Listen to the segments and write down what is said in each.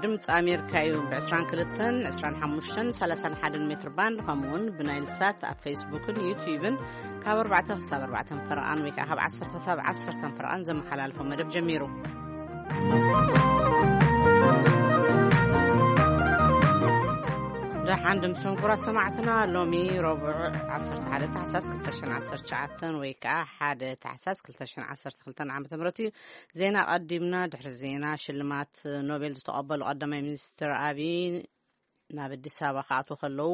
ድምፂ ኣሜሪካ እዩ። ብ22፣ 25፣ 31 ሜትር ባንድ፣ ከምኡ እውን ብናይል ሳት ኣብ ፌስቡክን ዩትዩብን ካብ ኣርባዕተ ክሳብ ኣርባዕተ ፈረቓን ወይ ከዓ ካብ ዓሰርተ ክሳብ ዓሰርተ ፈረቓን ዘመሓላልፎ መደብ ጀሚሩ። ደሓን ድምፅን ኩራ ሰማዕትና፣ ሎሚ ረቡዕ ዓሰርተ ሓደ ታሕሳስ ክልተ ሽሕን ዓሰርተ ትሽዓተን ወይ ከዓ ሓደ ታሕሳስ ክልተ ሽሕን ዓሰርተ ክልተን ዓመተ ምህረት እዩ። ዜና ቀዲምና። ድሕሪ ዜና፣ ሽልማት ኖቤል ዝተቐበሉ ቀዳማይ ሚኒስትር ኣብይ ናብ ኣዲስ ኣበባ ክኣትዉ ከለዉ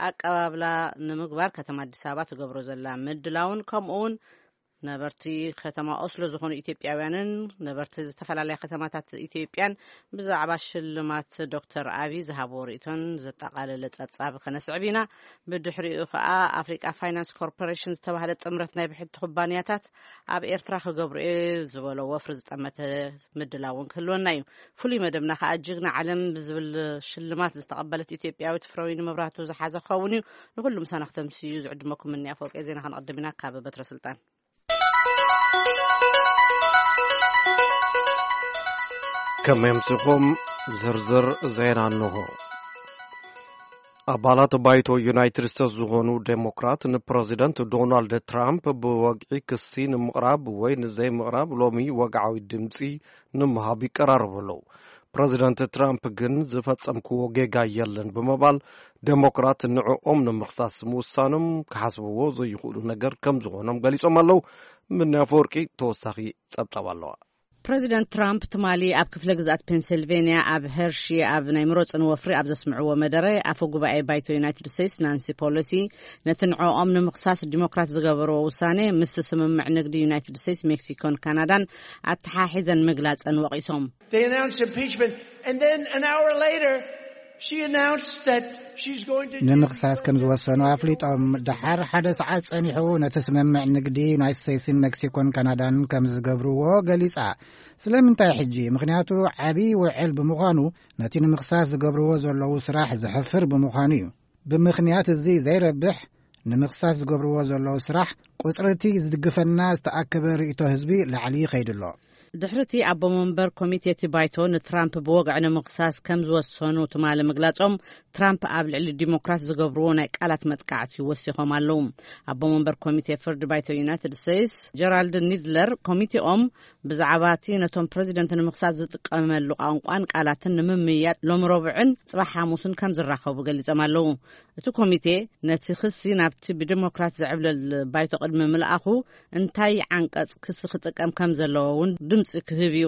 ኣቀባብላ ንምግባር ከተማ ኣዲስ ኣበባ ትገብሮ ዘላ ምድላውን፣ ከምኡ እውን ነበርቲ ከተማ ኦስሎ ዝኾኑ ኢትዮጵያውያንን ነበርቲ ዝተፈላለያ ከተማታት ኢትዮጵያን ብዛዕባ ሽልማት ዶክተር ኣብይ ዝሃብዎ ርእይቶን ዘጠቓለለ ጸብጻብ ከነስዕብ ኢና። ብድሕሪኡ ከኣ ኣፍሪቃ ፋይናንስ ኮርፖሬሽን ዝተባህለ ጥምረት ናይ ብሕቲ ኩባንያታት ኣብ ኤርትራ ክገብሩ እየ ዝበሎ ወፍሪ ዝጠመተ ምድላውን ክህልወና እዩ። ፍሉይ መደብና ከኣ ጅግና ዓለም ብዝብል ሽልማት ዝተቐበለት ኢትዮጵያዊት ፍረዊን መብራህቱ ዝሓዘ ክኸውን እዩ። ንኹሉ ምሳና ክተምስዩ ዝዕድመኩም እኒ ኣፈወርቂ ዜና። ከነቐድም ኢና ካብ በትረ ስልጣን። ከመይ ኣምሲኹም? ዝርዝር ዜና እንሆ። ኣባላት ባይቶ ዩናይትድ ስቴትስ ዝኾኑ ዴሞክራት ንፕረዚደንት ዶናልድ ትራምፕ ብወግዒ ክሲ ንምቕራብ ወይ ንዘይምቕራብ ሎሚ ወግዓዊ ድምፂ ንምሃብ ይቀራረቡ ኣለዉ። ፕረዚደንት ትራምፕ ግን ዝፈጸምክዎ ጌጋ የለን ብምባል ዴሞክራት ንዕኦም ንምኽሳስ ምውሳኖም ክሓስብዎ ዘይኽእሉ ነገር ከም ዝኾኖም ገሊጾም ኣለዉ። ምንያ ኣፈወርቂ ተወሳኺ ጸብጻብ ኣለዋ። ፕረዚደንት ትራምፕ ትማሊ ኣብ ክፍለ ግዝኣት ፔንሲልቬንያ ኣብ ሄርሺ ኣብ ናይ ምረጹኒ ወፍሪ ኣብ ዘስምዕዎ መደረ፣ ኣፈ ጉባኤ ባይቶ ዩናይትድ ስቴትስ ናንሲ ፖሎሲ ነቲ ንዕኦም ንምኽሳስ ዲሞክራት ዝገበርዎ ውሳኔ ምስቲ ስምምዕ ንግዲ ዩናይትድ ስቴትስ፣ ሜክሲኮን ካናዳን ኣተሓሒዘን ምግላጸን ወቒሶም። They announced impeachment, and then an hour later, she announced that she's going to ንምኽሳስ ከም ዝወሰኑ ኣፍሊጦም። ደሓር ሓደ ሰዓት ጸኒሑ ነቲ ስምምዕ ንግዲ ዩናይትድ ስቴትስን ሜክሲኮን ካናዳን ከም ዝገብርዎ ገሊጻ። ስለምንታይ ሕጂ? ምኽንያቱ ዓቢ ውዕል ብምዃኑ፣ ነቲ ንምኽሳስ ዝገብርዎ ዘለዉ ስራሕ ዘሕፍር ብምዃኑ እዩ። ብምኽንያት እዚ ዘይረብሕ ንምኽሳስ ዝገብርዎ ዘለዉ ስራሕ፣ ቁጽሪ እቲ ዝድግፈና ዝተኣከበ ርእይቶ ህዝቢ ላዕሊ ይኸይድ ኣሎ። ድሕሪ እቲ ኣቦ መንበር ኮሚቴ እቲ ባይቶ ንትራምፕ ብወግዒ ንምኽሳስ ከም ዝወሰኑ ትማሊ ምግላጾም፣ ትራምፕ ኣብ ልዕሊ ዲሞክራት ዝገብርዎ ናይ ቃላት መጥቃዕቲ ወሲኾም ኣለዉ። ኣቦ መንበር ኮሚቴ ፍርዲ ባይቶ ዩናይትድ ስቴትስ ጀራልድ ኒድለር፣ ኮሚቴኦም ብዛዕባ እቲ ነቶም ፕረዚደንት ንምኽሳስ ዝጥቀመሉ ቋንቋን ቃላትን ንምምይያጥ ሎሚ ረቡዕን ጽባሕ ሓሙስን ከም ዝራኸቡ ገሊጾም ኣለዉ። እቲ ኮሚቴ ነቲ ክሲ ናብቲ ብዲሞክራት ዝዕብለል ባይቶ ቅድሚ ምልኣኹ፣ እንታይ ዓንቀጽ ክሲ ክጥቀም ከም ዘለዎ እውን ድምጺ ክህብ እዩ።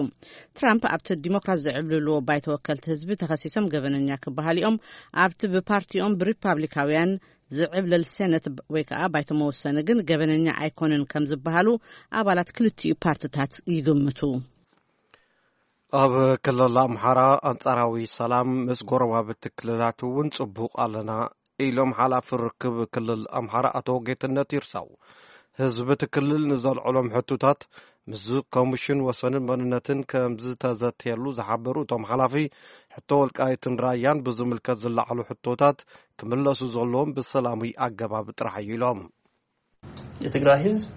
ትራምፕ ኣብቲ ዲሞክራት ዝዕብልልዎ ባይቶ ወከልቲ ህዝቢ ተኸሲሶም ገበነኛ ክበሃሉ እዮም። ኣብቲ ብፓርቲኦም ብሪፓብሊካውያን ዝዕብለል ሴነት ወይ ከዓ ባይቶ መወሰኒ ግን ገበነኛ ኣይኮነን ከም ዝበሃሉ ኣባላት ክልቲኡ ፓርትታት ይግምቱ። ኣብ ክልል ኣምሓራ ኣንጻራዊ ሰላም ምስ ጎረባብቲ ክልላት እውን ጽቡቕ ኣለና ኢሎም ሓላፊ ርክብ ክልል ኣምሓራ ኣቶ ጌትነት ይርሳው። ህዝቢ እቲ ክልል ንዘልዕሎም ሕቶታት ምስ ኮሚሽን ወሰንን መንነትን ከም ዝተዘተየሉ ዝሓበሩ እቶም ሓላፊ፣ ሕቶ ወልቃይትን ራያን ብዝምልከት ዝለዓሉ ሕቶታት ክምለሱ ዘለዎም ብሰላማዊ ኣገባብ ጥራሕ እዩ ኢሎም። የትግራይ ህዝብ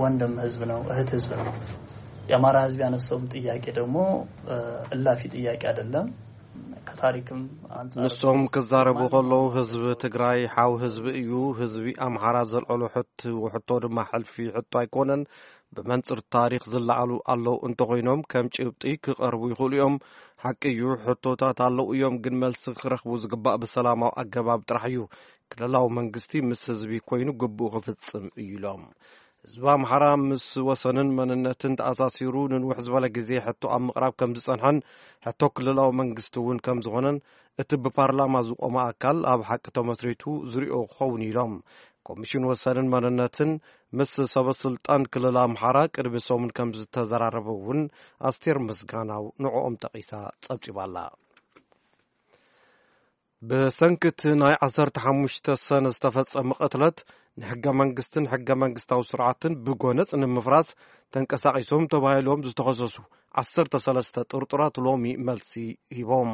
ወንድም ህዝብ ነው፣ እህት ህዝብ ነው። የአማራ ህዝብ ያነሳውም ጥያቄ ደግሞ እላፊ ጥያቄ አይደለም። ከታሪክም አንጻር ንሶም ክዛረቡ ከለዉ ህዝብ ትግራይ ሓው ህዝብ እዩ። ህዝቢ ኣምሓራ ዘልዕሎ ሕቶ ድማ ሕልፊ ሕቶ ኣይኮነን። ብመንፅር ታሪክ ዝለዓሉ ኣለዉ እንተኾይኖም ከም ጭብጢ ክቐርቡ ይኽእሉ እዮም። ሓቂ እዩ፣ ሕቶታት ኣለዉ እዮም፣ ግን መልሲ ክረኽቡ ዝግባእ ብሰላማዊ ኣገባብ ጥራሕ እዩ። ክልላዊ መንግስቲ ምስ ህዝቢ ኮይኑ ግቡኡ ክፍፅም እዩ ኢሎም። ህዝቢ ኣምሓራ ምስ ወሰንን መንነትን ተኣሳሲሩ ንንውሕ ዝበለ ግዜ ሕቶ ኣብ ምቕራብ ከም ዝጸንሐን ሕቶ ክልላዊ መንግስቲ እውን ከም ዝኾነን እቲ ብፓርላማ ዝቖመ ኣካል ኣብ ሓቂ ተመስሪቱ ዝሪኦ ክኸውን ኢሎም። ኮሚሽን ወሰንን መንነትን ምስ ሰበ ስልጣን ክልል ኣምሓራ ቅድሚ ሰሙን ከም ዝተዘራረበ እውን ኣስቴር ምስጋናው ንዕኦም ጠቒሳ ጸብጺባ ኣላ። ብሰንኪ እቲ ናይ ዓሰርተ ሓሙሽተ ሰነ ዝተፈጸመ ቅትለት ንሕገ መንግስትን ሕገ መንግስታዊ ስርዓትን ብጎነጽ ንምፍራስ ተንቀሳቒሶም ተባሂሎም ዝተኸሰሱ ዓሰርተ ሰለስተ ጥርጡራት ሎሚ መልሲ ሂቦም።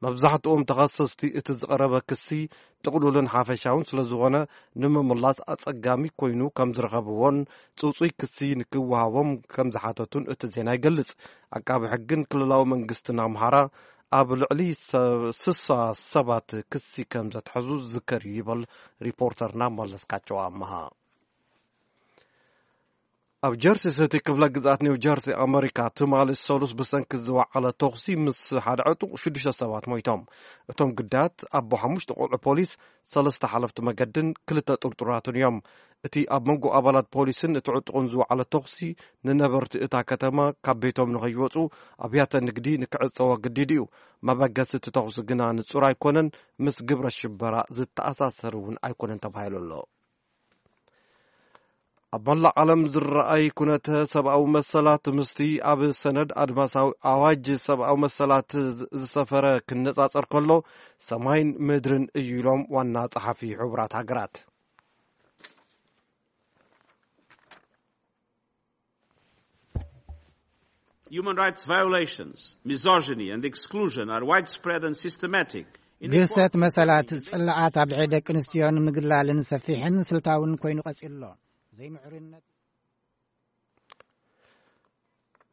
መብዛሕትኦም ተኸሰስቲ እቲ ዝቐረበ ክሲ ጥቕሉልን ሓፈሻውን ስለ ዝኾነ ንምምላስ ኣጸጋሚ ኮይኑ ከም ዝረኸብዎን ጽጹይ ክሲ ንክወሃቦም ከም ዝሓተቱን እቲ ዜና ይገልጽ። ኣቃቢ ሕግን ክልላዊ መንግስትን ኣምሓራ ኣብ ልዕሊ ሰ-፣ ስሳ ሰባት ክሲ ከም ዘትሐዙ ዝዝከር እዩ ይበል ሪፖርተርና መለስካቸው ኣመሃ። ኣብ ጀርሲ ሲቲ ክፍለ ግዝኣት ኒው ጀርሲ ኣመሪካ፣ ትማሊ ሰሉስ ብሰንኪ ዝወዓለ ተኹሲ ምስ ሓደ ዕጡቕ ሽዱሽተ ሰባት ሞይቶም። እቶም ግዳያት ኣቦ ሓሙሽተ ቆልዑ ፖሊስ፣ ሰለስተ ሓለፍቲ መገድን ክልተ ጥርጡራትን እዮም። እቲ ኣብ መንጎ ኣባላት ፖሊስን እቲ ዕጡቕን ዝወዓለ ተኹሲ፣ ንነበርቲ እታ ከተማ ካብ ቤቶም ንኸይወጹ፣ ኣብያተ ንግዲ ንክዕጸው ኣገዲዱ እዩ። መበገሲ እቲ ተኹሲ ግና ንጹር ኣይኮነን፣ ምስ ግብረ ሽበራ ዝተኣሳሰር እውን ኣይኮነን ተባሂሉ ኣሎ። ኣብ መላእ ዓለም ዝረኣይ ኩነተ ሰብኣዊ መሰላት ምስቲ ኣብ ሰነድ ኣድማሳዊ ኣዋጅ ሰብኣዊ መሰላት ዝሰፈረ ክነጻጸር ከሎ፣ ሰማይን ምድርን እዩ ኢሎም ዋና ጸሓፊ ሕቡራት ሃገራት። Human rights violations, misogyny and exclusion are widespread and systematic. ግህሰት መሰላት ጽልኣት ኣብ ልዕሊ ደቂ ኣንስትዮን ምግላልን ሰፊሕን ስልታውን ኮይኑ ቀጺሉ ኣሎ። ዘይምዕሩይነት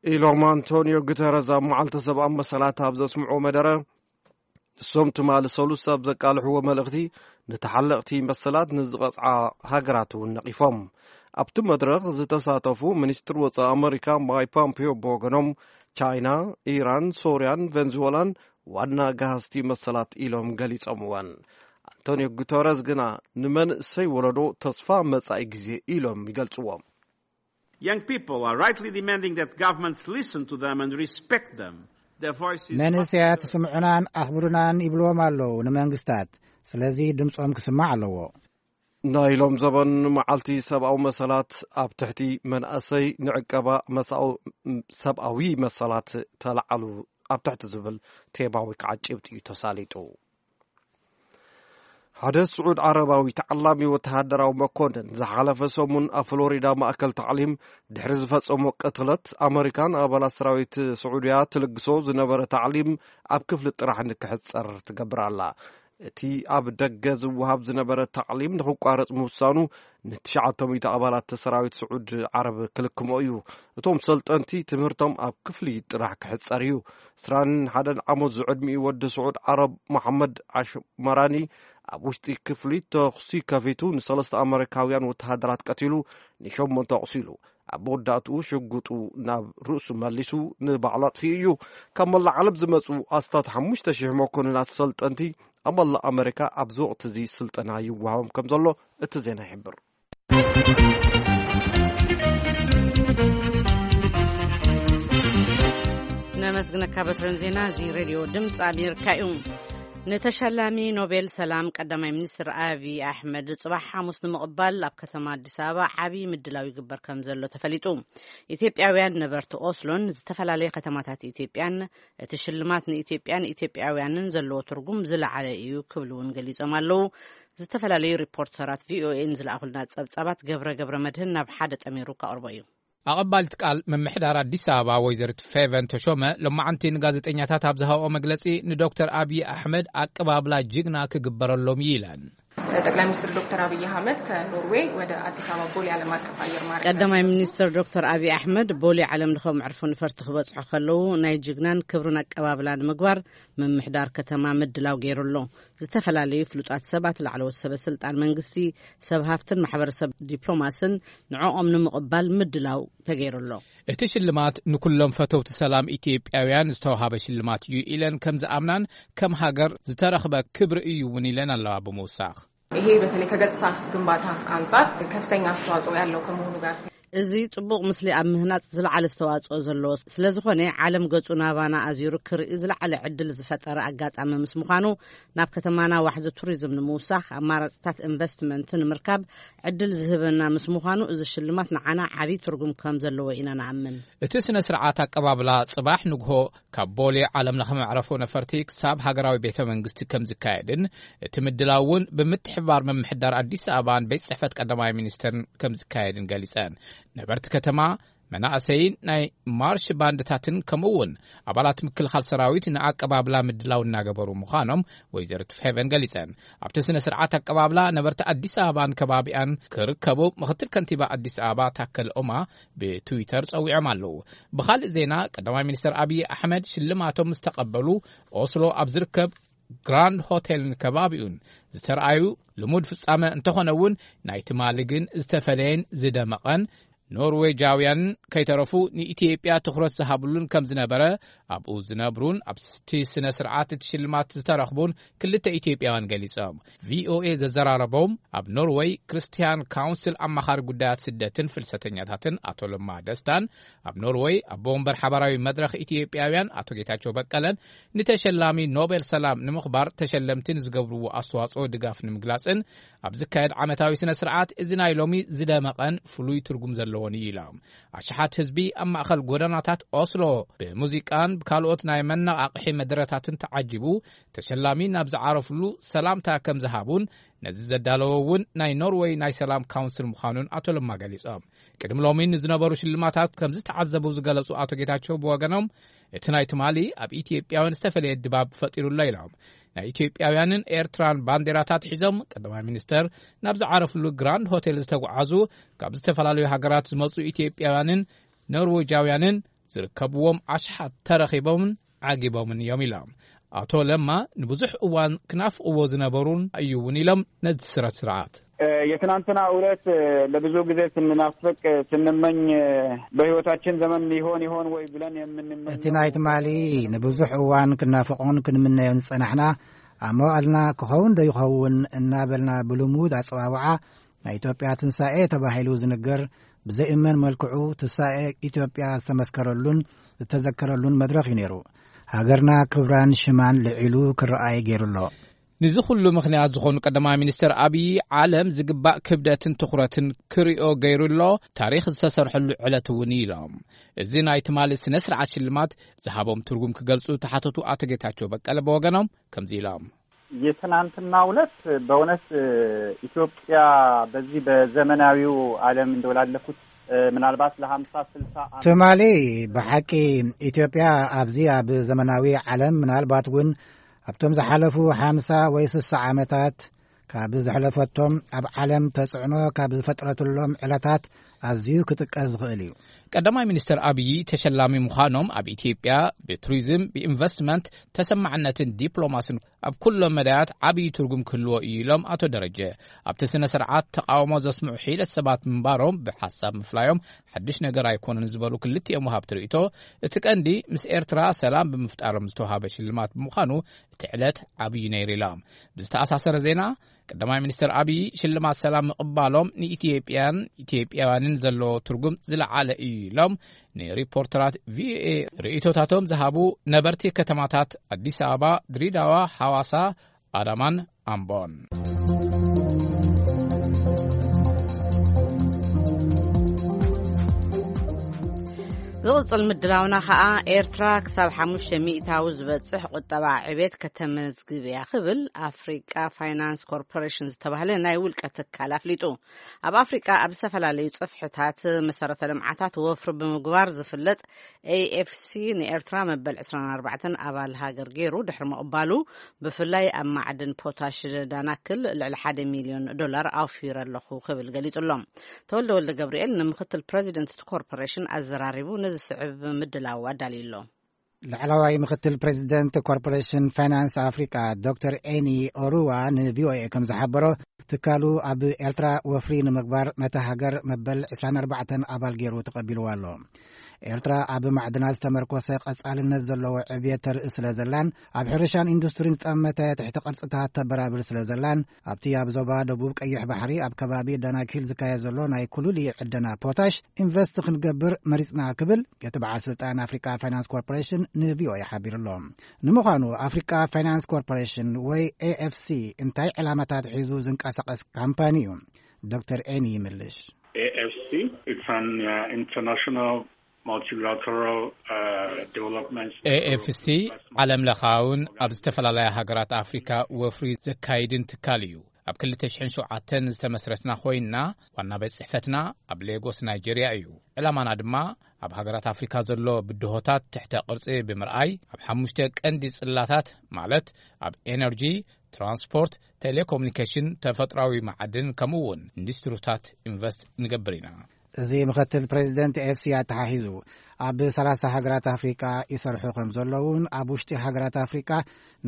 ኢሎም ኣንቶኒዮ ጉተረዝ ኣብ መዓልቲ ሰብኣዊ መሰላት ኣብ ዘስምዑ መደረ፣ ንሶም ትማሊ ሰሉስ ኣብ ዘቃልሕዎ መልእኽቲ፣ ንተሓለቕቲ መሰላት ንዝቐጽዓ ሃገራት እውን ነቒፎም። ኣብቲ መድረኽ ዝተሳተፉ ሚኒስትር ወጻኢ ኣመሪካ ማይክ ፖምፒዮ ብወገኖም፣ ቻይና፣ ኢራን፣ ሶርያን ቬንዙዌላን ዋና ገሃስቲ መሰላት ኢሎም ገሊጾምወን። ኣንቶኒዮ ጉተረዝ ግና ንመንእሰይ ወለዶ ተስፋ መጻኢ ግዜ ኢሎም ይገልጽዎም። Young people are rightly demanding that governments listen to them and respect them. Their voices must መንእሰያት ስምዑናን ኣኽብሩናን ይብልዎም ኣለዉ ንመንግስታት። ስለዚ ድምጾም ክስማዕ ኣለዎ። ናይ ሎም ዘበን መዓልቲ ሰብኣዊ መሰላት ኣብ ትሕቲ መንእሰይ ንዕቀባ መሳኡ-፣ ሰብኣዊ መሰላት ተላዓሉ ኣብ ትሕቲ ዝብል ቴማዊ ከዓ ጭብጢ እዩ ተሳሊጡ። ሓደ ስዑድ ዓረባዊ ተዓላሚ ወተሃደራዊ መኮንን ዝሓለፈ ሰሙን ኣብ ፍሎሪዳ ማእከል ታዕሊም ድሕሪ ዝፈጸሞ ቅትለት፣ ኣመሪካን ኣባላት ሰራዊት ስዑድያ ትልግሶ ዝነበረ ታዕሊም ኣብ ክፍሊ ጥራሕ ንክሕጸር ትገብር ኣላ። እቲ ኣብ ደገ ዝወሃብ ዝነበረ ታዕሊም ንክቋረጽ ምውሳኑ ንትሽዓተ ሚእቲ ኣባላት ሰራዊት ስዑድ ዓረብ ክልክሞ እዩ። እቶም ሰልጠንቲ ትምህርቶም ኣብ ክፍሊ ጥራሕ ክሕጸር እዩ። ዕስራን ሓደን ዓመት ዝዕድሚኡ ወዲ ስዑድ ዓረብ መሓመድ ዓሽመራኒ ኣብ ውሽጢ ክፍሊ ተኹሲ ከፊቱ ንሰለስተ ኣመሪካውያን ወተሃደራት ቀቲሉ፣ ንሸሞንተ ኣቑሲሉ። ኣብ መወዳእትኡ ሽጉጡ ናብ ርእሱ መሊሱ ንባዕሉ ኣጥፊኡ እዩ። ካብ መላእ ዓለም ዝመጹ ኣስታት ሓሙሽተ ሽሕ መኮንናት ሰልጠንቲ ኣብ መላእ ኣመሪካ ኣብዚ ወቕቲ እዚ ስልጠና ይወሃቦም ከም ዘሎ እቲ ዜና ይሕብር። ነመስግነካ በትረን ዜና እዚ ሬድዮ ድምፂ ኣሜሪካ እዩ። ንተሸላሚ ኖቤል ሰላም ቀዳማይ ሚኒስትር ኣብይ ኣሕመድ ጽባሕ ሓሙስ ንምቕባል ኣብ ከተማ ኣዲስ ኣበባ ዓብዪ ምድላው ይግበር ከም ዘሎ ተፈሊጡ። ኢትዮጵያውያን ነበርቲ ኦስሎን ዝተፈላለየ ከተማታት ኢትዮጵያን እቲ ሽልማት ንኢትዮጵያን ኢትዮጵያውያንን ዘለዎ ትርጉም ዝለዓለ እዩ ክብሉ እውን ገሊጾም ኣለዉ። ዝተፈላለዩ ሪፖርተራት ቪኦኤን ዝለኣኹልና ጸብጻባት ገብረ ገብረ መድህን ናብ ሓደ ጠሚሩ ከቕርቦ እዩ። ኣቐባሊት ቃል ምምሕዳር ኣዲስ ኣበባ ወይዘሪት ፌቨን ተሾመ ሎማዓንቲ ንጋዜጠኛታት ኣብ ዝሃብኦ መግለጺ፣ ንዶክተር ኣብዪ ኣሕመድ ኣቀባብላ ጅግና ክግበረሎም እዩ ኢለን። ጠቅላይ ሚኒስትር ዶክተር አብይ አህመድ ከኖርዌይ ወደ አዲስ አበባ ቦሌ ዓለም አቀፍ አየር ማረፊያ ቀዳማይ ሚኒስትር ዶክተር ኣብዪ ኣሕመድ ቦሌ ዓለም ለኸ መዕርፎ ነፈርቲ ክበጽሑ ከለዉ ናይ ጅግናን ክብርን ኣቀባብላ ንምግባር ምምሕዳር ከተማ ምድላው ገይሩ ኣሎ። ዝተፈላለዩ ፍሉጣት ሰባት፣ ላዕለዎት ሰበ ስልጣን መንግስቲ፣ ሰብ ሃፍትን ማሕበረሰብ ዲፕሎማስን ንዕኦም ንምቕባል ምድላው ተገይሩ ኣሎ። እቲ ሽልማት ንኩሎም ፈተውቲ ሰላም ኢትዮጵያውያን ዝተዋሃበ ሽልማት እዩ ኢለን ከም ዝኣምናን ከም ሃገር ዝተረኽበ ክብሪ እዩ እውን ኢለን ኣለዋ ብምውሳኽ። ይሄ በተለይ ከገጽታ ግንባታ አንጻር ከፍተኛ አስተዋጽኦ ያለው ከመሆኑ ጋር እዚ ጽቡቕ ምስሊ ኣብ ምህናጽ ዝለዓለ ኣስተዋጽኦ ዘለዎ ስለ ዝኾነ፣ ዓለም ገጹ ናባና ኣዚሩ ክርኢ ዝለዓለ ዕድል ዝፈጠረ ኣጋጣሚ ምስ ምዃኑ፣ ናብ ከተማና ዋሕዚ ቱሪዝም ንምውሳኽ፣ ኣማራጽታት ኢንቨስትመንት ንምርካብ ዕድል ዝህበና ምስ ምዃኑ፣ እዚ ሽልማት ንዓና ዓቢ ትርጉም ከም ዘለዎ ኢና ንኣምን። እቲ ስነ ስርዓት ኣቀባብላ ጽባሕ ንግሆ ካብ ቦሌ ዓለም ለኸ መዕረፎ ነፈርቲ ክሳብ ሃገራዊ ቤተ መንግስቲ ከም ዝካየድን፣ እቲ ምድላው እውን ብምትሕብባር ምምሕዳር ኣዲስ ኣበባን ቤት ጽሕፈት ቀዳማይ ሚኒስትርን ከም ዝካየድን ገሊጸን። ነበርቲ ከተማ መናእሰይን ናይ ማርሽ ባንድታትን ከምኡ እውን ኣባላት ምክልኻል ሰራዊት ንኣቀባብላ ምድላው እናገበሩ ምዃኖም ወይዘሪት ፌቨን ገሊጸን። ኣብቲ ስነ ስርዓት ኣቀባብላ ነበርቲ ኣዲስ ኣበባን ከባቢኣን ክርከቡ ምክትል ከንቲባ ኣዲስ ኣበባ ታከለ ኡማ ብትዊተር ጸዊዖም ኣለዉ። ብኻልእ ዜና፣ ቀዳማይ ሚኒስትር ኣብይ ኣሕመድ ሽልማቶም ምስ ተቐበሉ፣ ኦስሎ ኣብ ዝርከብ ግራንድ ሆቴልን ከባቢኡን ዝተረኣዩ ልሙድ ፍጻመ እንተኾነ እውን፣ ናይ ትማሊ ግን ዝተፈለየን ዝደመቐን፣ ኖርዌጃውያን ከይተረፉ ንኢትዮጵያ ትኹረት ዝሃብሉን ከም ዝነበረ፣ ኣብኡ ዝነብሩን ኣብቲ ስነ ስርዓት እቲ ሽልማት ዝተረኽቡን ክልተ ኢትዮጵያውያን ገሊጾም። ቪኦኤ ዘዘራረቦም ኣብ ኖርወይ ክርስቲያን ካውንስል ኣማኻሪ ጉዳያት ስደትን ፍልሰተኛታትን ኣቶ ለማ ደስታን፣ ኣብ ኖርወይ ኣቦ ወንበር ሓባራዊ መድረኽ ኢትዮጵያውያን ኣቶ ጌታቸው በቀለን፣ ንተሸላሚ ኖቤል ሰላም ንምኽባር ተሸለምቲ ንዝገብርዎ ኣስተዋጽኦ ድጋፍ ንምግላጽን ኣብ ዝካየድ ዓመታዊ ስነ ስርዓት፣ እዚ ናይ ሎሚ ዝደመቐን ፍሉይ ትርጉም ዘለዎን እዩ ኢሎም። ኣሽሓት ህዝቢ ኣብ ማእኸል ጎደናታት ኦስሎ ብሙዚቃን ብካልኦት ናይ መነቓቕሒ መደረታትን ተዓጂቡ፣ ተሸላሚ ናብ ዝዓረፍሉ ሰላምታ ከም ዝሃቡን ነዚ ዘዳለወ እውን ናይ ኖርወይ ናይ ሰላም ካውንስል ምዃኑን ኣቶ ለማ ገሊጾም። ቅድሚ ሎሚ ንዝነበሩ ሽልማታት ከም ዝተዓዘቡ ዝገለጹ ኣቶ ጌታቸው ብወገኖም፣ እቲ ናይ ትማሊ ኣብ ኢትዮጵያውያን ዝተፈለየ ድባብ ፈጢሩ ኣሎ ኢሎም። ናይ ኢትዮጵያውያንን ኤርትራን ባንዲራታት ሒዞም ቀዳማይ ሚኒስተር ናብ ዝዓረፍሉ ግራንድ ሆቴል ዝተጓዓዙ፣ ካብ ዝተፈላለዩ ሃገራት ዝመጹ ኢትዮጵያውያንን ኖርዌጃውያንን ዝርከብዎም ኣሽሓት ተረኺቦምን ዓጊቦምን እዮም ኢሎም። ኣቶ ለማ ንብዙሕ እዋን ክናፍቕዎ ዝነበሩን እዩ እውን ኢሎም ነዚ ስረት ስርዓት። የትናንትና ዕለት ለብዙ ጊዜ ስንናፍቅ ስንመኝ በህይወታችን ዘመን ይሆን ይሆን ወይ ብለን የምንመኝ እቲ ናይ ትማሊ ንብዙሕ እዋን ክናፍቆን ክንምነዮን ዝጸናሕና፣ ኣብ መዋእልና ክኸውን ዶ ይኸውን እናበልና ብልሙድ ኣጸዋውዓ ናይ ኢትዮጵያ ትንሳኤ ተባሂሉ ዝንገር ብዘይእመን መልክዑ ትንሳኤ ኢትዮጵያ ዝተመስከረሉን ዝተዘከረሉን መድረኽ እዩ ነይሩ። ሃገርና ክብራን ሽማን ልዒሉ ክረኣይ ገይሩ ኣሎ። ንዚ ኩሉ ምኽንያት ዝኾኑ ቀዳማይ ሚኒስትር ኣብይ፣ ዓለም ዝግባእ ክብደትን ትኹረትን ክሪኦ ገይሩ ኣሎ፣ ታሪኽ ዝተሰርሐሉ ዕለት እውን እዩ ኢሎም። እዚ ናይ ትማሊ ስነ ስርዓት ሽልማት ዝሃቦም ትርጉም ክገልጹ ተሓተቱ ኣቶ ጌታቸው በቀለ ብወገኖም ከምዚ ኢሎም። የትናንትና ዕለት በእውነት ኢትዮጵያ በዚህ በዘመናዊው ዓለም እንደው ላለፉት ምናልባት ለሃምሳ ስልሳ ዓመት ትማሊ ብሓቂ ኢትዮጵያ ኣብዚ ኣብ ዘመናዊ ዓለም ምናልባት እውን ኣብቶም ዝሓለፉ ሓምሳ ወይ ስሳ ዓመታት ካብ ዘሕለፈቶም ኣብ ዓለም ተጽዕኖ ካብ ዝፈጥረትሎም ዕለታት ኣዝዩ ክጥቀስ ዝኽእል እዩ። ቀዳማይ ሚኒስትር ኣብይ ተሸላሚ ምዃኖም ኣብ ኢትዮጵያ ብቱሪዝም፣ ብኢንቨስትመንት፣ ተሰማዕነትን ዲፕሎማስን ኣብ ኩሎም መዳያት ዓብዪ ትርጉም ክህልዎ እዩ ኢሎም ኣቶ ደረጀ። ኣብቲ ስነ ስርዓት ተቃውሞ ዘስምዑ ሒደት ሰባት ምንባሮም ብሓሳብ ምፍላዮም ሓድሽ ነገር ኣይኮነን ዝበሉ ክልቲኦም ወሃብቲ ርእይቶ፣ እቲ ቀንዲ ምስ ኤርትራ ሰላም ብምፍጣሮም ዝተዋሃበ ሽልማት ብምዃኑ እቲ ዕለት ዓብዪ ነይሩ ኢሎም። ብዝተኣሳሰረ ዜና፣ ቀዳማይ ሚኒስትር ኣብይ ሽልማት ሰላም ምቕባሎም ንኢትዮጵያን ኢትዮጵያውያንን ዘለዎ ትርጉም ዝለዓለ እዩ ኢሎም ንሪፖርተራት ቪኦኤ ርእይቶታቶም ዝሃቡ ነበርቲ ከተማታት ኣዲስ ኣበባ፣ ድሬዳዋ፣ ሓዋሳ፣ ኣዳማን ኣምቦን። ዝቕጽል ምድላውና ኸኣ፣ ኤርትራ ክሳብ ሓሙሽተ ሚእታዊ ዝበጽሕ ቁጠባ ዕቤት ከተመዝግብ እያ ክብል ኣፍሪቃ ፋይናንስ ኮርፖሬሽን ዝተባህለ ናይ ውልቀ ትካል ኣፍሊጡ። ኣብ ኣፍሪቃ ኣብ ዝተፈላለዩ ጽፍሕታት መሰረተ ልምዓታት ወፍሪ ብምግባር ዝፍለጥ ኤኤፍሲ ንኤርትራ መበል ዕስራን ኣርባዕተን ኣባል ሃገር ገይሩ ድሕሪ ምቕባሉ፣ ብፍላይ ኣብ ማዕድን ፖታሽ ዳናክል ልዕሊ ሓደ ሚልዮን ዶላር ኣውፊረ ኣለኹ ክብል ገሊጹ ኣሎ። ተወልደ ወልደ ገብርኤል ንምክትል ፕረዚደንት እቲ ኮርፖሬሽን ኣዘራሪቡ ነዚ ስዕብ ምድላው ኣዳልዩ ኣሎ። ላዕለዋይ ምክትል ፕረዚደንት ኮርፖሬሽን ፋይናንስ ኣፍሪቃ ዶክተር ኤኒ ኦሩዋ ንቪኦኤ ከም ዝሓበሮ፣ ትካሉ ኣብ ኤርትራ ወፍሪ ንምግባር ነታ ሃገር መበል ዕስራን ኣርባዕተን ኣባል ገይሩ ተቐቢልዋ ኣሎ። ኤርትራ ኣብ ማዕድናት ዝተመርኮሰ ቀጻልነት ዘለዎ ዕብየት ተርኢ ስለ ዘላን ኣብ ሕርሻን ኢንዱስትሪን ዝጠመተ ትሕቲ ቅርጽታት ተበራብር ስለ ዘላን ኣብቲ ኣብ ዞባ ደቡብ ቀይሕ ባሕሪ ኣብ ከባቢ ዳናኪል ዝካየድ ዘሎ ናይ ኩሉሊ ዕደና ፖታሽ ኢንቨስት ክንገብር መሪጽና ክብል እቲ በዓል ስልጣን ኣፍሪቃ ፋይናንስ ኮርፖሬሽን ንቪኦኤ ሓቢሩ ኣሎ። ንምዃኑ ኣፍሪቃ ፋይናንስ ኮርፖሬሽን ወይ ኤኤፍሲ እንታይ ዕላማታት ሒዙ ዝንቀሳቐስ ካምፓኒ እዩ? ዶክተር ኤኒ ይምልሽ። A F C, it's an uh, international multilateral uh, development ኤኤፍሲ ዓለም ለኻውን ኣብ ዝተፈላለያ ሃገራት ኣፍሪካ ወፍሪ ዘካይድን ትካል እዩ። ኣብ ክልተ ሽሕን ሸውዓተን ዝተመስረትና ኮይንና፣ ዋና ቤት ጽሕፈትና ኣብ ሌጎስ ናይጄርያ እዩ። ዕላማና ድማ ኣብ ሃገራት ኣፍሪካ ዘሎ ብድሆታት ትሕተ ቅርጺ ብምርኣይ፣ ኣብ ሓሙሽተ ቀንዲ ጽላታት፣ ማለት ኣብ ኤነርጂ፣ ትራንስፖርት፣ ቴሌኮሙኒኬሽን፣ ተፈጥራዊ መዓድን ከምኡ እውን ኢንዱስትሪታት ኢንቨስት ንገብር ኢና። እዚ ምኽትል ፕሬዚደንት ኤፍሲ ኣተሓሒዙ፣ ኣብ ሰላሳ ሃገራት ኣፍሪቃ ይሰርሑ ከም ዘለውን ኣብ ውሽጢ ሃገራት ኣፍሪቃ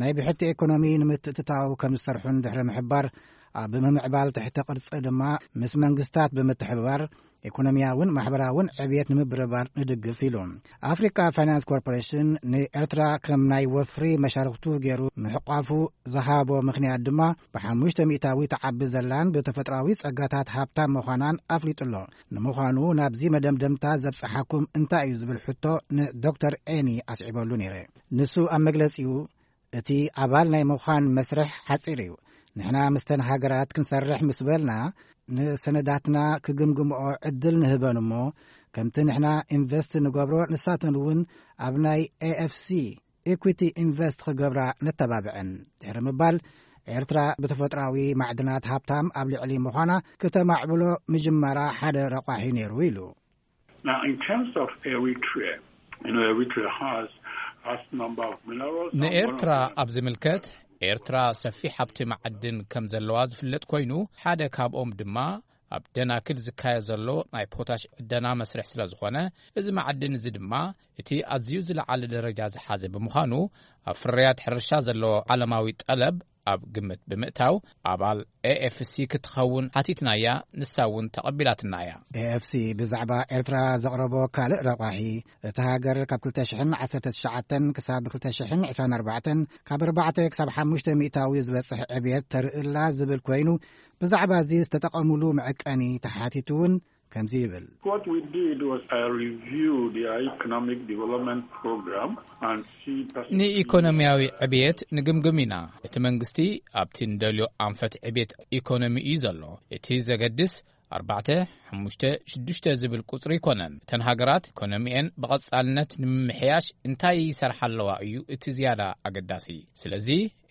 ናይ ብሕቲ ኢኮኖሚ ንምትእትታው ከም ዝሰርሑን ድሕሪ ምሕባር፣ ኣብ ምምዕባል ትሕተ ቅርጺ ድማ ምስ መንግስታት ብምትሕብባር ኢኮኖሚያውን ማሕበራውን ዕብየት ንምብርባር ንድግፍ ኢሉ። ኣፍሪካ ፋይናንስ ኮርፖሬሽን ንኤርትራ ከም ናይ ወፍሪ መሻርክቱ ገይሩ ምሕቋፉ ዝሃቦ ምኽንያት ድማ ብሓሙሽተ ሚእታዊ ተዓቢ ዘላን ብተፈጥራዊ ጸጋታት ሃብታም ምዃናን ኣፍሊጡ ኣሎ። ንምዃኑ ናብዚ መደምደምታ ዘብጽሓኩም እንታይ እዩ ዝብል ሕቶ ንዶክተር ኤኒ ኣስዒበሉ ነይረ። ንሱ ኣብ መግለጺኡ፣ እቲ ኣባል ናይ ምዃን መስርሕ ሓጺር እዩ። ንሕና ምስተን ሃገራት ክንሰርሕ ምስ በልና፣ ንሰነዳትና ክግምግምኦ ዕድል ንህበን እሞ፣ ከምቲ ንሕና ኢንቨስት ንገብሮ ንሳተን እውን ኣብ ናይ ኤኤፍሲ፣ ኢኩዊቲ ኢንቨስት ክገብራ ነተባብዐን። ድሕሪ ምባል፣ ኤርትራ ብተፈጥራዊ ማዕድናት ሃብታም ኣብ ልዕሊ ምዃና ክተማዕብሎ ምጅማራ ሓደ ረቋሒ ነይሩ ኢሉ። Now, in terms of Eritrea, you know, Eritrea has vast number of minerals. ንኤርትራ ኣብ ዝምልከት፣ ኤርትራ ሰፊሕ ሃብቲ መዓድን ከም ዘለዋ ዝፍለጥ ኮይኑ፣ ሓደ ካብኦም ድማ ኣብ ደናክል ዝካየድ ዘሎ ናይ ፖታሽ ዕደና መስርሕ ስለ ዝኾነ፣ እዚ መዓድን እዚ ድማ እቲ ኣዝዩ ዝለዓለ ደረጃ ዝሓዘ ብምዃኑ፣ ኣብ ፍርያት ሕርሻ ዘሎ ዓለማዊ ጠለብ ኣብ ግምት ብምእታው፣ ኣባል ኤኤፍሲ ክትኸውን ሓቲትናያ፣ ንሳ እውን ተቐቢላትና እያ። ኤኤፍሲ ብዛዕባ ኤርትራ ዘቕረቦ ካልእ ረቋሒ፣ እታ ሃገር ካብ ክልተ ሽሕን ዓሰርተ ትሽዓተን ክሳብ ክልተ ሽሕን ዕስራን ኣርባዕተን ካብ ኣርባዕተ ክሳብ ሓሙሽተ ሚእታዊ ዝበጽሕ ዕብየት ተርእላ ዝብል ኮይኑ፣ ብዛዕባ እዚ ዝተጠቐሙሉ መዐቀኒ ተሓቲቱ እውን ከምዚ ይብል። What we did was I reviewed their economic development program and see perspectives. ንኢኮኖሚያዊ ዕብየት ንግምግም ኢና። እቲ መንግስቲ ኣብቲ ንደልዮ ኣንፈት ዕብየት ኢኮኖሚ እዩ ዘሎ። እቲ ዘገድስ ኣርባዕተ፣ ሓሙሽተ፣ ሽዱሽተ ዝብል ቁጽሪ ኣይኮነን። እተን ሃገራት ኢኮኖሚኤን ብቐጻልነት ንምምሕያሽ እንታይ ይሰርሓ ኣለዋ እዩ እቲ ዝያዳ ኣገዳሲ። ስለዚ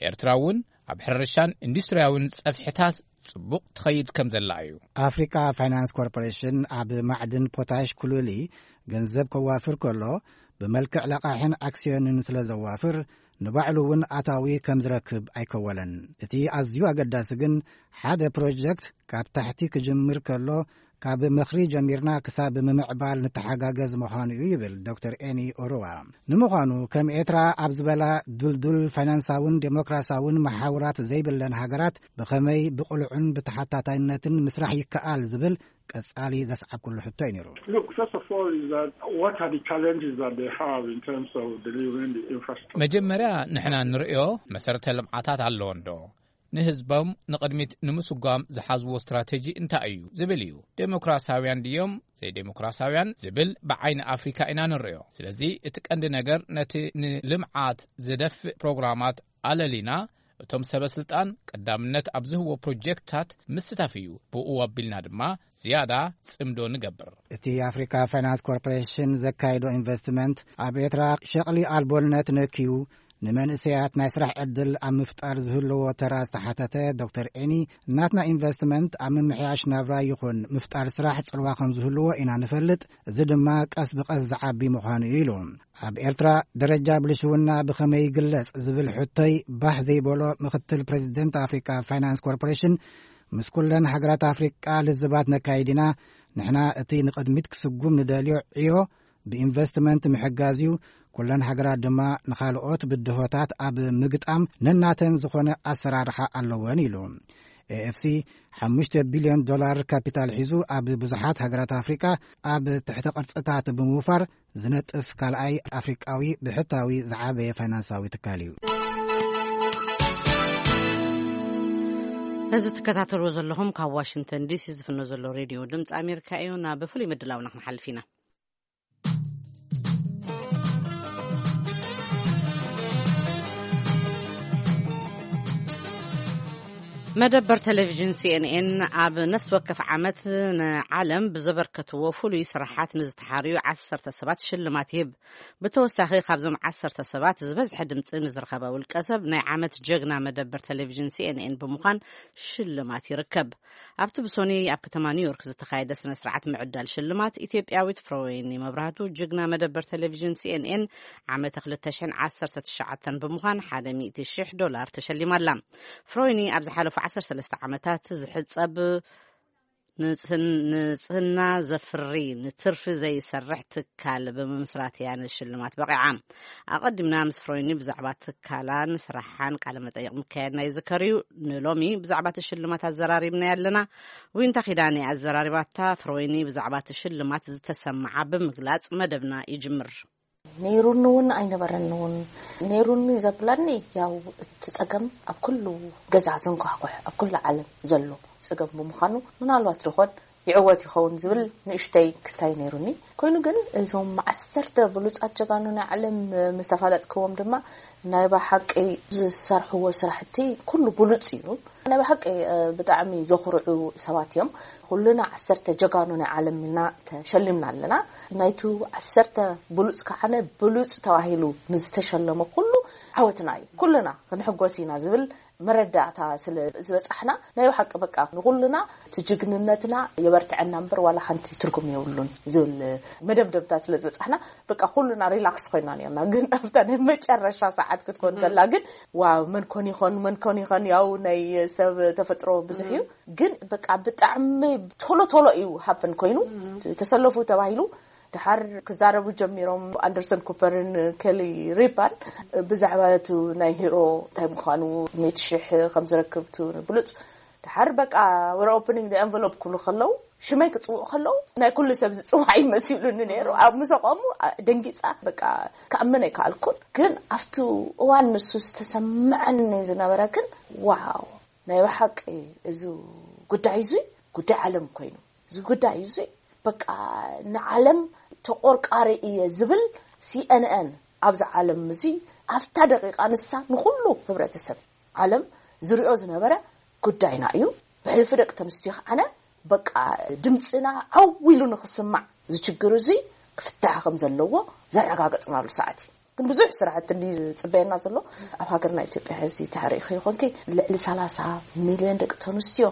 ኤርትራ እውን ኣብ ሕርሻን ኢንዱስትሪያውን ጸፍሕታት ጽቡቕ ትኸይድ ከም ዘላ እዩ። ኣፍሪካ ፋይናንስ ኮርፖሬሽን ኣብ ማዕድን ፖታሽ ኩሉሊ ገንዘብ ከዋፍር ከሎ፣ ብመልክዕ ለቓሕን ኣክስዮንን ስለ ዘዋፍር፣ ንባዕሉ እውን ኣታዊ ከም ዝረክብ ኣይከወለን። እቲ ኣዝዩ ኣገዳሲ ግን፣ ሓደ ፕሮጀክት ካብ ታሕቲ ክጅምር ከሎ፣ ካብ ምኽሪ ጀሚርና ክሳብ ምምዕባል ንተሓጋገዝ ምዃኑ እዩ ይብል ዶክተር ኤኒ ኦሮዋ። ንምዃኑ ከም ኤርትራ ኣብ ዝበላ ዱልዱል ፋይናንሳውን ዴሞክራሲያውን መሓውራት ዘይብለን ሃገራት ብኸመይ ብቕሉዕን ብተሓታታይነትን ምስራሕ ይከኣል ዝብል ቀጻሊ ዘስዓብኩሉ ሕቶ እዩ ነይሩ። Look, first of all, is that what are the challenges that they have in terms of delivering the infrastructure? መጀመርያ ንሕና ንርእዮ መሰረተ ልምዓታት ኣለዎ እንዶ? ንህዝቦም ንቕድሚት ንምስጓም ዝሓዝዎ ስትራቴጂ እንታይ እዩ ዝብል እዩ። ዴሞክራሲያውያን ድዮም ዘይዴሞክራሲያውያን ዝብል ብዓይኒ ኣፍሪካ ኢና ንርእዮ። ስለዚ እቲ ቀንዲ ነገር ነቲ ንልምዓት ዝደፍእ ፕሮግራማት ኣለሊና፣ እቶም ሰበ ስልጣን ቀዳምነት ኣብ ዝህዎ ፕሮጀክትታት ምስታፍ እዩ። ብኡ ኣቢልና ድማ ዝያዳ ጽምዶ ንገብር። እቲ ኣፍሪካ ፋይናንስ ኮርፖሬሽን ዘካየዶ ኢንቨስትመንት ኣብ ኤርትራ ሸቕሊ ኣልቦነት ነክዩ፣ ንመንእሰያት ናይ ስራሕ ዕድል ኣብ ምፍጣር ዝህልዎ ተራ ዝተሓተተ ዶክተር ኤኒ፣ ናትና ኢንቨስትመንት ኣብ ምምሕያሽ ናብራ ይኹን ምፍጣር ስራሕ ጽልዋ ከም ዝህልዎ ኢና ንፈልጥ፣ እዚ ድማ ቀስ ብቐስ ዝዓቢ ምዃኑ እዩ ኢሉ። ኣብ ኤርትራ ደረጃ ብልሽውና ብኸመይ ይግለጽ ዝብል ሕቶይ ባህ ዘይበሎ ምኽትል ፕሬዚደንት ኣፍሪካ ፋይናንስ ኮርፖሬሽን፣ ምስ ኩለን ሃገራት ኣፍሪቃ ልዝባት ነካይድ ኢና። ንሕና እቲ ንቕድሚት ክስጉም ንደልዮ ዕዮ ብኢንቨስትመንት ምሕጋዝ እዩ። ኩለን ሃገራት ድማ ንኻልኦት ብድሆታት ኣብ ምግጣም ነናተን ዝኾነ ኣሰራርሓ ኣለወን ኢሉ። ኤኤፍሲ ሓሙሽተ ቢልዮን ዶላር ካፒታል ሒዙ ኣብ ብዙሓት ሃገራት ኣፍሪቃ ኣብ ትሕተ ቅርጽታት ብምውፋር ዝነጥፍ ካልኣይ ኣፍሪቃዊ ብሕታዊ ዝዓበየ ፋይናንሳዊ ትካል እዩ። እዚ ትከታተልዎ ዘለኹም ካብ ዋሽንግተን ዲሲ ዝፍኖ ዘሎ ሬድዮ ድምፂ ኣሜሪካ እዩ። ናብ ፍሉይ ምድላውና ክንሓልፍ ኢና። መደበር ቴሌቪዥን ሲኤንኤን ኣብ ነፍሲ ወከፍ ዓመት ንዓለም ብዘበርከትዎ ፍሉይ ስራሓት ንዝተሓርዩ ዓሰርተ ሰባት ሽልማት ይህብ። ብተወሳኺ ካብዞም ዓሰርተ ሰባት ዝበዝሐ ድምፂ ንዝረኸበ ውልቀ ሰብ ናይ ዓመት ጀግና መደበር ቴሌቪዥን ሲኤንኤን ብምዃን ሽልማት ይርከብ። ኣብቲ ብሶኒ ኣብ ከተማ ኒውዮርክ ዝተኻየደ ስነ ስርዓት ምዕዳል ሽልማት ኢትዮጵያዊት ፍሮወይኒ መብራህቱ ጅግና መደበር ቴሌቪዥን ሲኤንኤን ዓመተ ክልተ ሽሕን ዓሰርተ ትሽዓተን ብምዃን ሓደ ሚእቲ ሽሕ ዶላር ተሸሊማላ። ፍሮይኒ ኣብ ዝሓለፉ ዓሰርተ ሰለስተ ዓመታት ዝሕጸብ ንጽህን-፣ ንጽህና ዘፍሪ ንትርፊ ዘይሰርሕ ትካል ብምምስራት እያ ንሽልማት በቒዓ። ኣቐዲምና ምስ ፍሮይኒ ብዛዕባ ትካላን ስራሓን ቃለ መጠይቕ ምካየድና ይዝከር እዩ። ንሎሚ ብዛዕባ እቲ ሽልማት ኣዘራሪብና ኣለና። ዊንታ ኪዳነ ኣዘራሪባታ። ፍሮይኒ ብዛዕባ እቲ ሽልማት ዝተሰምዓ ብምግላጽ መደብና ይጅምር። ነይሩኒ እውን ኣይነበረኒ እውን። ነይሩኒ ዘብለኒ ያው እቲ ጸገም ኣብ ኩሉ ገዛ ዘንኳሕኩሕ ኣብ ኩሉ ዓለም ዘሎ ጸገም ብምዃኑ ምናልባት ድኾን ይዕወት ይኸውን ዝብል ንእሽተይ ክስታይ ነይሩኒ። ኮይኑ ግን እዞም ዓሰርተ ብሉጻት ጀጋኑ ናይ ዓለም ምስ ተፋለጥክዎም ድማ ናይ ብሓቂ ዝሰርሕዎ ስራሕቲ ኩሉ ብሉጽ እዩ። ናይ ብሓቂ ብጣዕሚ ዘኹርዑ ሰባት እዮም። ኩልና ዓሰርተ ጀጋኑ ናይ ዓለም ኢልና ተሸሊምና ኣለና። ናይቱ ዓሰርተ ብሉጽ ከዓነ ብሉጽ ተባሂሉ ንዝተሸለመ ኩሉ ዓወትና እዩ። ኩልና ክንሕጎስ ኢና ዝብል መረዳእታ ስለ ዝበጻሕና ናይ ብሓቂ በቃ ንኩልና እቲ ጅግንነትና የበርትዐና እምበር ዋላ ሓንቲ ትርጉም የብሉን ዝብል መደምደምታ ስለ ዝበጻሕና በቃ ኩልና ሪላክስ ኮይና ነርና። ግን ኣብታ ናይ መጨረሻ ሰዓት ክትኮን ከላ ግን ዋው መን ኮን ይኾን መን ኮን ይኾን ያው ናይ ሰብ ተፈጥሮ ብዙሕ እዩ። ግን በቃ ብጣዕሚ ቶሎ ቶሎ እዩ ሃፕን ኮይኑ ተሰለፉ ተባሂሉ ድሓር ክዛረቡ ጀሚሮም። ኣንደርሰን ኩፐርን ኬሊ ሪፓን ብዛዕባ እቲ ናይ ሂሮ እንታይ ምዃኑ ሜት ሽሕ ከም ዝረክብ እቲ ብሉፅ ድሓር በቃ ወረ ኦፕኒንግ ኤንቨሎፕ ክብሉ ከለዉ ሽመይ ክፅውዑ ከለዉ ናይ ኩሉ ሰብ ዝፅዋዕ ይመሲሉኒ ነይሩ። ኣብ ምስ ኣቆሙ ደንጊፃ በቃ ክኣምን ኣይከኣልኩን። ግን ኣብቲ እዋን ንሱ ዝተሰምዐኒ ዝነበረ ግን ዋው ናይ ብሓቂ እዚ ጉዳይ እዚ ጉዳይ ዓለም ኮይኑ እዚ ጉዳይ እዚ በቃ ንዓለም ተቆርቃሪ እየ ዝብል ሲኤንኤን ኣብዚ ዓለም እዚ ኣብታ ደቂቃ ንሳ ንኩሉ ህብረተሰብ ዓለም ዝሪኦ ዝነበረ ጉዳይና እዩ። ብሕልፊ ደቂ ተንስትዮ ከዓነ በቃ ድምፅና ዓው ኢሉ ንክስማዕ ዝችግር እዚ ክፍታሕ ከም ዘለዎ ዘረጋገፅናሉ ሰዓት እዩ። ግን ብዙሕ ስራሕቲ እንዲ ዝፅበየና ዘሎ ኣብ ሃገርና ኢትዮጵያ ሕዚ ተሪእኺ ይኾንኪ ልዕሊ ሰላሳ ሚልዮን ደቂ ተንስትዮ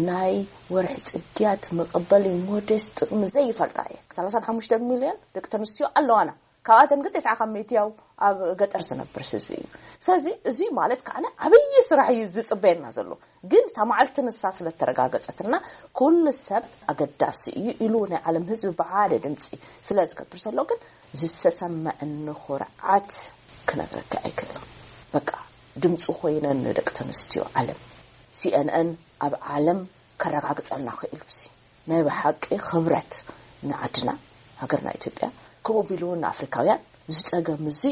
ናይ ወርሒ ፅግያት መቐበሊ ሞዴስ ጥቕሚ ዘይፈልጣ እየ። ሰላሳን ሓሙሽተ ሚልዮን ደቂ ተንስትዮ ኣለዋና። ካብኣተን ግን ተስዓ ካብ ሚእቲ ያው ኣብ ገጠር ዝነብር ህዝቢ እዩ። ስለዚ እዚ ማለት ከዓ ዓብዪ ስራሕ እዩ ዝፅበየና ዘሎ። ግን እታ መዓልቲ ንሳ ስለተረጋገፀትና ኩሉ ሰብ ኣገዳሲ እዩ ኢሉ ናይ ዓለም ህዝቢ ብሓደ ድምፂ ስለ ዝገብር ዘሎ ግን ዝተሰመዐኒ ኩርዓት ክነግረካ ኣይክእልን። በቃ ድምፂ ኮይነን ንደቂ ተንስትዮ ዓለም ሲኤንኤን ኣብ ዓለም ከረጋግፀልና ክኢሉ ሲ ናይ ብሓቂ ክብረት ንዓድና ሃገርና ኢትዮጵያ ከምኡ ቢሉ እውን ንኣፍሪካውያን ዝፀገም እዚ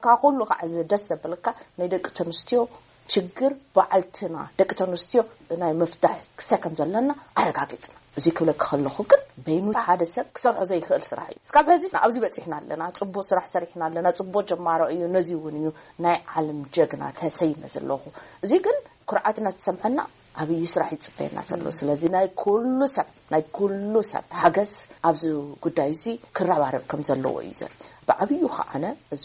ካብ ኩሉ ከዓ እዚ ደስ ዘብለካ ናይ ደቂ ተንስትዮ ችግር በዓልትና ደቂ ተንስትዮ ናይ ምፍታሕ ክሰከም ዘለና ኣረጋጊፅና። እዚ ክብለካ ከለኹ ግን በይኑ ሓደ ሰብ ክሰርሖ ዘይክእል ስራሕ እዩ። እስካብ ሕዚ ኣብዚ በፂሕና ኣለና፣ ፅቡቅ ስራሕ ሰሪሕና ኣለና፣ ፅቡቅ ጀማሮ እዩ። ነዚ እውን እዩ ናይ ዓለም ጀግና ተሰይመ ዘለኹ። እዚ ግን ኩርዓትና ተሰምዐና ዓብዪ ስራሕ ይፅበየና ዘሎ። ስለዚ ናይ ኩሉ ሰብ ናይ ኩሉ ሰብ ሓገዝ ኣብዚ ጉዳይ እዚ ክረባረብ ከም ዘለዎ እዩ ዘርኢ። ብዓብዩ ከዓነ እዚ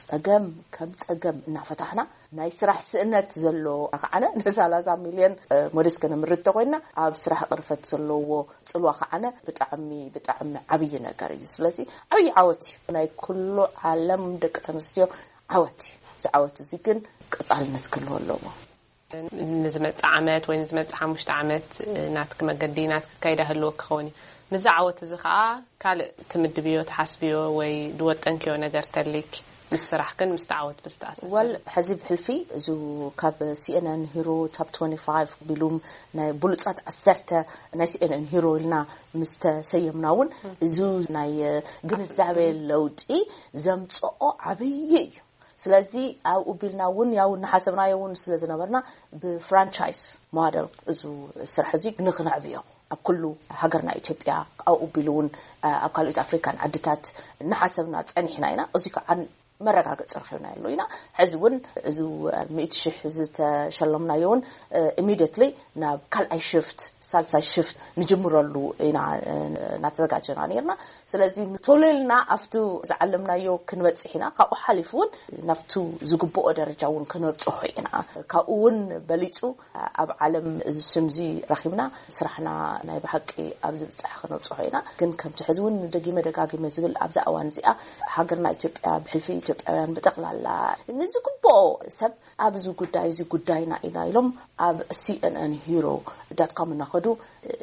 ፀገም ከም ፀገም እናፈታሕና ናይ ስራሕ ስእነት ዘሎ ከዓነ ንሰላሳ ሚልዮን ሞዴስ ከነምርት ተኮይና ኣብ ስራሕ ቅርፈት ዘለዎ ፅልዋ ከዓነ ብጣዕሚ ብጣዕሚ ዓብዪ ነገር እዩ። ስለዚ ዓብዪ ዓወት እዩ ናይ ኩሉ ዓለም ደቂ ተንስትዮ ዓወት እዩ። እዚ ዓወት እዚ ግን ቀፃልነት ክህልዎ ኣለዎ። ንዝመፅእ ዓመት ወይ ንዝመፅእ ሓሙሽተ ዓመት ናትኪ መገዲ ናትኪ ኣካይዳ ህልወኪ ክኸውን እዩ። ምስዚ ዓወት እዚ ከዓ ካልእ ትምድብዮ ትሓስብዮ ወይ ዝወጠንክዮ ነገር ተልይኪ ምስ ስራሕክን ምስ ዓወት ብዝተኣሳሰር? ወል ሕዚ ብሕልፊ እዚ ካብ ሲኤንኤን ሂሮ ታፕ ቢሉም ናይ ብሉፃት ዓሰርተ ናይ ሲኤንኤን ሂሮ ኢልና ምስ ተሰየምና እውን እዚ ናይ ግንዛቤ ለውጢ ዘምፅኦ ዓብዪ እዩ። ስለዚ ኣብኡ ቢልና እውን ያው እናሓሰብናዮ እውን ስለ ዝነበርና ብፍራንቻይዝ ሞደል እዚ ስራሕ እዚ ንክነዕብዮ ኣብ ኩሉ ሃገርና ኢትዮጵያ ኣብኡ ቢሉ እውን ኣብ ካልኦት ኣፍሪካን ዓድታት እናሓሰብና ፀኒሕና ኢና። እዚ ከዓ መረጋገፂ ረኺብና ኣሎ ኢና። ሕዚ እውን እዚ ሚእቲ ሽሕ ዝተሸለምናዮ እውን ኢሚዲየትሊ ናብ ካልኣይ ሽፍት፣ ሳልሳይ ሽፍት ንጅምረሉ ኢና እናተዘጋጀና ነርና። ስለዚ ቶሌልና ኣብቱ ዝዓለምናዮ ክንበፅሕ ኢና። ካብኡ ሓሊፉ እውን ናብቱ ዝግብኦ ደረጃ እውን ክነብፅሖ ኢና። ካብኡ እውን በሊፁ ኣብ ዓለም እዚ ስምዚ ረኺብና ስራሕና ናይ ብሓቂ ኣብ ዝብፅሕ ክነብፅሖ ኢና። ግን ከምቲ ሕዚ እውን ደጊመ ደጋጊመ ዝብል ኣብዛ እዋን እዚኣ ሃገርና ኢትዮጵያ ብሕልፊ ኢትዮጵያውያን ብጠቕላላ ንዝግብኦ ሰብ ኣብዚ ጉዳይ እዚ ጉዳይና ኢና ኢሎም ኣብ C N N Hero dot com እናኸዱ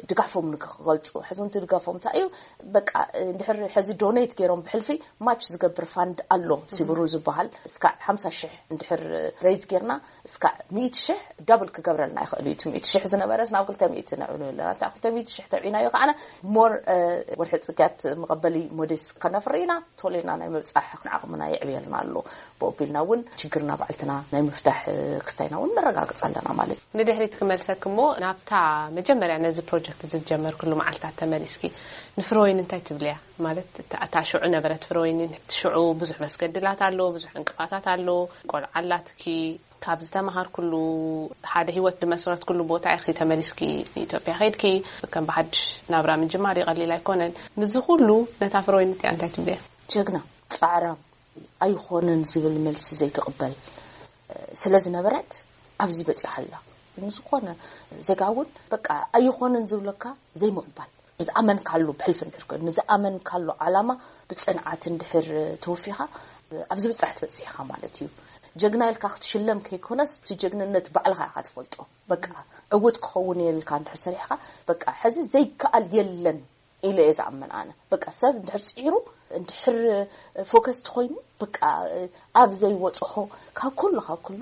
ድጋፎም ንክገልፁ ሕዚ እውን ድጋፎም እንታይ እዩ? በቃ እንድሕር ሕዚ ዶኔት ገይሮም ብሕልፊ ማች ዝገብር ፋንድ ኣሎ ሲብሩ ዝበሃል እስካዕ ሓምሳ ሽሕ እንድሕር ሬይዝ ጌርና እስካዕ ሚእቲ ሽሕ ዳብል ክገብረልና ይኽእል እዩ። እቲ ሚእቲ ሽሕ ዝነበረስ ናብ ክልተ ሚእቲ ነዕብሎ ኣለና። እታ ክልተ ሚእቲ ሽሕ ተብዒናዮ ከዓነ ሞር ወርሒ ፅግያት መቐበሊ ሞዴስ ከነፍሪ ኢና። ቶሌና ናይ ምብፃሕ ዓቕምና የዕብየልና ኣሎ። ብኦቢልና እውን ችግርና ባዕልትና ናይ ምፍታሕ ክስታይና እውን ነረጋግፅ ኣለና ማለት እዩ። ንድሕሪት ክመልሰክ እሞ ናብታ መጀመርያ ነዚ ፕሮጀክት ዝጀመርክሉ መዓልታት ተመሊስኪ ንፍሮይን እንታይ ትብልያ? ማለት እታ እታ ሽዑ ነበረት ፍሮይን ሽዑ ብዙሕ መስገድላት ኣሎ፣ ብዙሕ ዕንቅፋታት ኣሎ። ቆልዓ ኣላትኪ፣ ካብ ዝተምሃርኩሉ ሓደ ህይወት ዝመስረትኩሉ ቦታ ኢኺ ተመሊስኪ ንኢትዮጵያ ከይድኪ ከም ብሓድሽ ናብራ ምጅማር ይቐሊል ኣይኮነን። ምስዚ ኩሉ ነታ ፍሮይን እቲኣ እንታይ ትብልያ? ጀግና፣ ጻዕራም፣ ኣይኾነን ዝብል መልሲ ዘይትቕበል ስለ ዝነበረት ኣብዚ በጺሓ ኣላ። ንዝኾነ ዜጋ እውን በቃ ኣይኾነን ዝብለካ ዘይምቕባል፣ ዝኣመንካሉ ብሕልፊ እንድሕር ኮይኑ ንዝኣመንካሉ ዓላማ ብፅንዓት እንድሕር ተወፊኻ ኣብዚ ብፅራሕ ትበፅሕ ኢኻ ማለት እዩ። ጀግና ኢልካ ክትሽለም ከይኮነስ እቲ ጀግንነት ባዕልኻ ኢኻ ትፈልጦ። በቃ ዕውት ክኸውን እየ ኢልካ እንድሕር ሰሪሕካ በቃ ሕዚ ዘይከኣል የለን ኢለ እየ ዝኣምን ኣነ። በቃ ሰብ እንድሕር ፅዒሩ እንድሕር ፎከስ ተኮይኑ በቃ ኣብ ዘይወፅሖ ካብ ኩሉ ካብ ኩሉ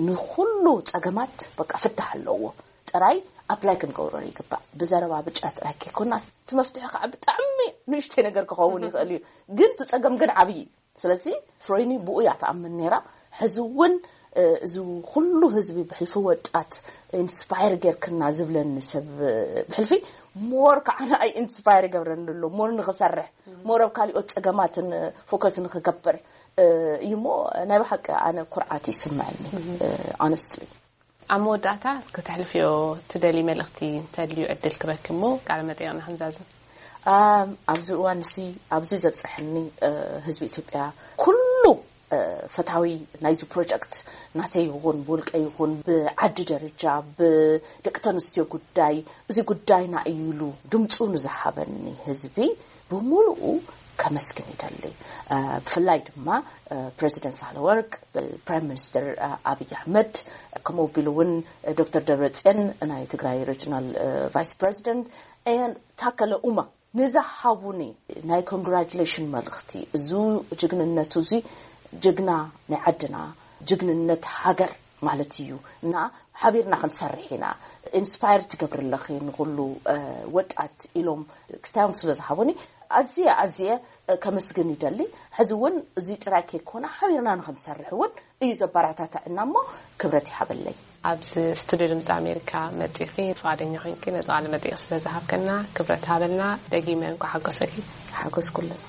ንኩሉ ፀገማት በቃ ፍታሕ ኣለዎ። ጥራይ ኣፕላይ ክንገብሮ ይግባእ። ብዘረባ ብጫ ጥራይ ከይኮናስ እቲ መፍትሒ ከዓ ብጣዕሚ ንእሽተይ ነገር ክኸውን ይኽእል እዩ፣ ግን እቲ ፀገም ግን ዓብዪ እዩ። ስለዚ ፍሮይኒ ብኡ እያ ትኣምን ነይራ። ሕዚ እውን እዚ ኩሉ ህዝቢ ብሕልፊ ወጣት ኢንስፓየር ጌርክና ዝብለኒ ሰብ ብሕልፊ ሞር ከዓ ንኣይ ኢንስፓየር ይገብረኒ ኣሎ። ሞር ንኽሰርሕ፣ ሞር ኣብ ካሊኦት ፀገማትን ፎከስ ንኽገብር እዩ እሞ ናይ ብሓቂ ኣነ ኩርዓት ይስምዐኒ። ኣነስትሊ ኣብ መወዳእታ ክተሕልፍዮ ትደሊ መልእኽቲ እንተድልዩ ዕድል ክበኪ እሞ ቃለ መጠይቕና ክንዛዝም። ኣብዚ እዋን እዚ ኣብዚ ዘብፀሐኒ ህዝቢ ኢትዮጵያ ኩሉ ፈታዊ ናይዚ ፕሮጀክት ናተይ ይኹን ብውልቀ ይኹን ብዓዲ ደረጃ ብደቂ ተንስትዮ ጉዳይ እዚ ጉዳይና እዩ ኢሉ ድምፁ ንዝሃበኒ ህዝቢ ብምሉኡ ከመስግን ይደሊ። ብፍላይ ድማ ፕሬዚደንት ሳህለወርቅ፣ ፕራይም ሚኒስትር ኣብይ ኣሕመድ፣ ከምኡ ቢሉ እውን ዶክተር ደብረፅዮን ናይ ትግራይ ሪጅናል ቫይስ ፕሬዚደንት፣ ታከለ ኡማ ንዝሃቡኒ ናይ ኮንግራጁሌሽን መልእኽቲ፣ እዚ ጅግንነቱ እዚ ጅግና ናይ ዓድና፣ ጅግንነት ሃገር ማለት እዩ እና ሓቢርና ክንሰርሕ ኢና፣ ኢንስፓየር ትገብሪ ኣለኺ ንኹሉ ወጣት ኢሎም ክስታዮም ስለ ዝሃቡኒ ኣዝየ ኣዝየ ከመስግን ይደሊ። ሕዚ እውን እዚ ጥራይ ከይኮነ ሓቢርና ንክንሰርሕ እውን እዩ ዘበረታተዐና እሞ ክብረት ይሃበለይ። ኣብዚ ስቱዲዮ ድምፂ ኣሜሪካ መፂኺ ፍቓደኛ ኮይንኪ ነዚ ቃለ መጠይቕ ስለ ዝሃብከና ክብረት ሃበልና። ደጊመ እንኳ ሓጎሰኪ። ሓጎስ ኩልና።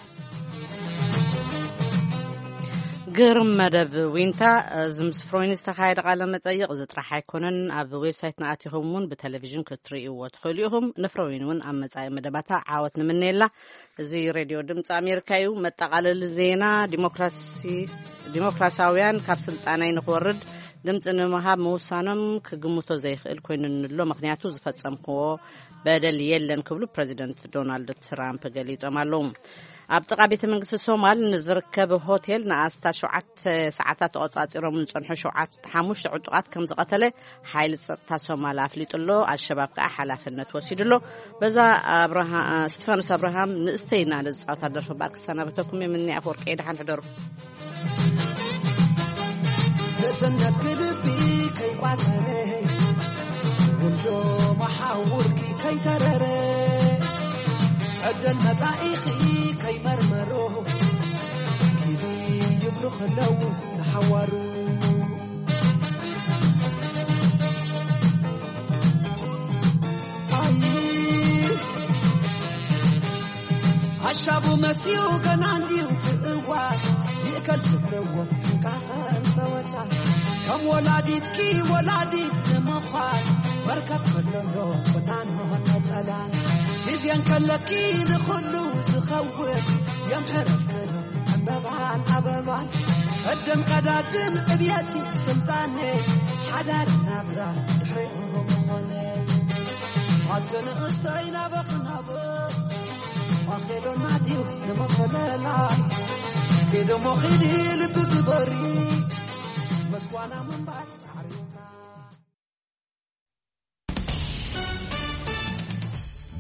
ግርም መደብ ዊንታ። እዚ ምስ ፍሮይን ዝተኻየደ ቃለ መጠይቕ እዚ ጥራሕ ኣይኮነን። ኣብ ዌብሳይትና ኣቲኹም እውን ብቴሌቪዥን ክትርእይዎ ትኽእሉ ኢኹም። ንፍሮይን እውን ኣብ መጻኢ መደባታ ዓወት ንምነየላ። እዚ ሬድዮ ድምፂ ኣሜሪካ እዩ። መጠቓለሊ ዜና። ዲሞክራሲ ዲሞክራሲያውያን ካብ ስልጣነይ ንክወርድ ድምፂ ንምሃብ ምውሳኖም ክግምቶ ዘይክእል ኮይኑ ንሎ፣ ምክንያቱ ዝፈፀምክዎ በደል የለን ክብሉ ፕሬዚደንት ዶናልድ ትራምፕ ገሊፆም ኣለዉ። ኣብ ጥቓ ቤተ መንግስቲ ሶማል ንዝርከብ ሆቴል ንኣስታት ሸውዓተ ሰዓታት ተቆፃፂሮም ንፀንሑ ሸውዓተ ሓሙሽተ ዕጡቓት ከም ዝቐተለ ሓይሊ ጸጥታ ሶማል ኣፍሊጡ ኣሎ። ኣልሸባብ ከኣ ሓላፍነት ወሲዱ ኣሎ። በዛ ኣብርሃ-፣ ስቲፋኖስ ኣብርሃም ንእስተይ እናለ ዝጻወታ ደርፊ ባር ክሰናበተኩም እየ። ምኒ ኣፈወርቂ እየ። ደሓን ሕደሩ። ርእስነት ክድቢ ከይቋጸረ፣ ውልዶ መሓውርኪ ከይተረረ፣ ዕድል መጻኢኺ ከይመርመሮ፣ ኪዲ ይብሉ ከለዉ ንሓዋሩ። ኣይ፣ ኣሻቡ መስዩ ገና እንዲዩ ትእዋር። ይከል ዝብልዎ ቃኸን ጸወታ ከም ወላዲትኪ ወላዲት ንምዃን መርከብ ከሎ ዶ ቁናኖ ነጸላ ግዜን ከለኪ ንኹሉ ዝኸውን የምሕረልክሎ ዕምበባን ኣበባን ቀደም ቀዳድም ዕብየቲ ስልጣኔ ሓዳር ናብራ ድሕሪኡ ምኾነ ኣቲ ንእስተይ ናበኽ ናበኽ ኣኼዶና ድዩ ንመፈለላ ኬደሞ ኺዲ ልቢ ግበሪ መስኳና ምንባር ጻዕሪ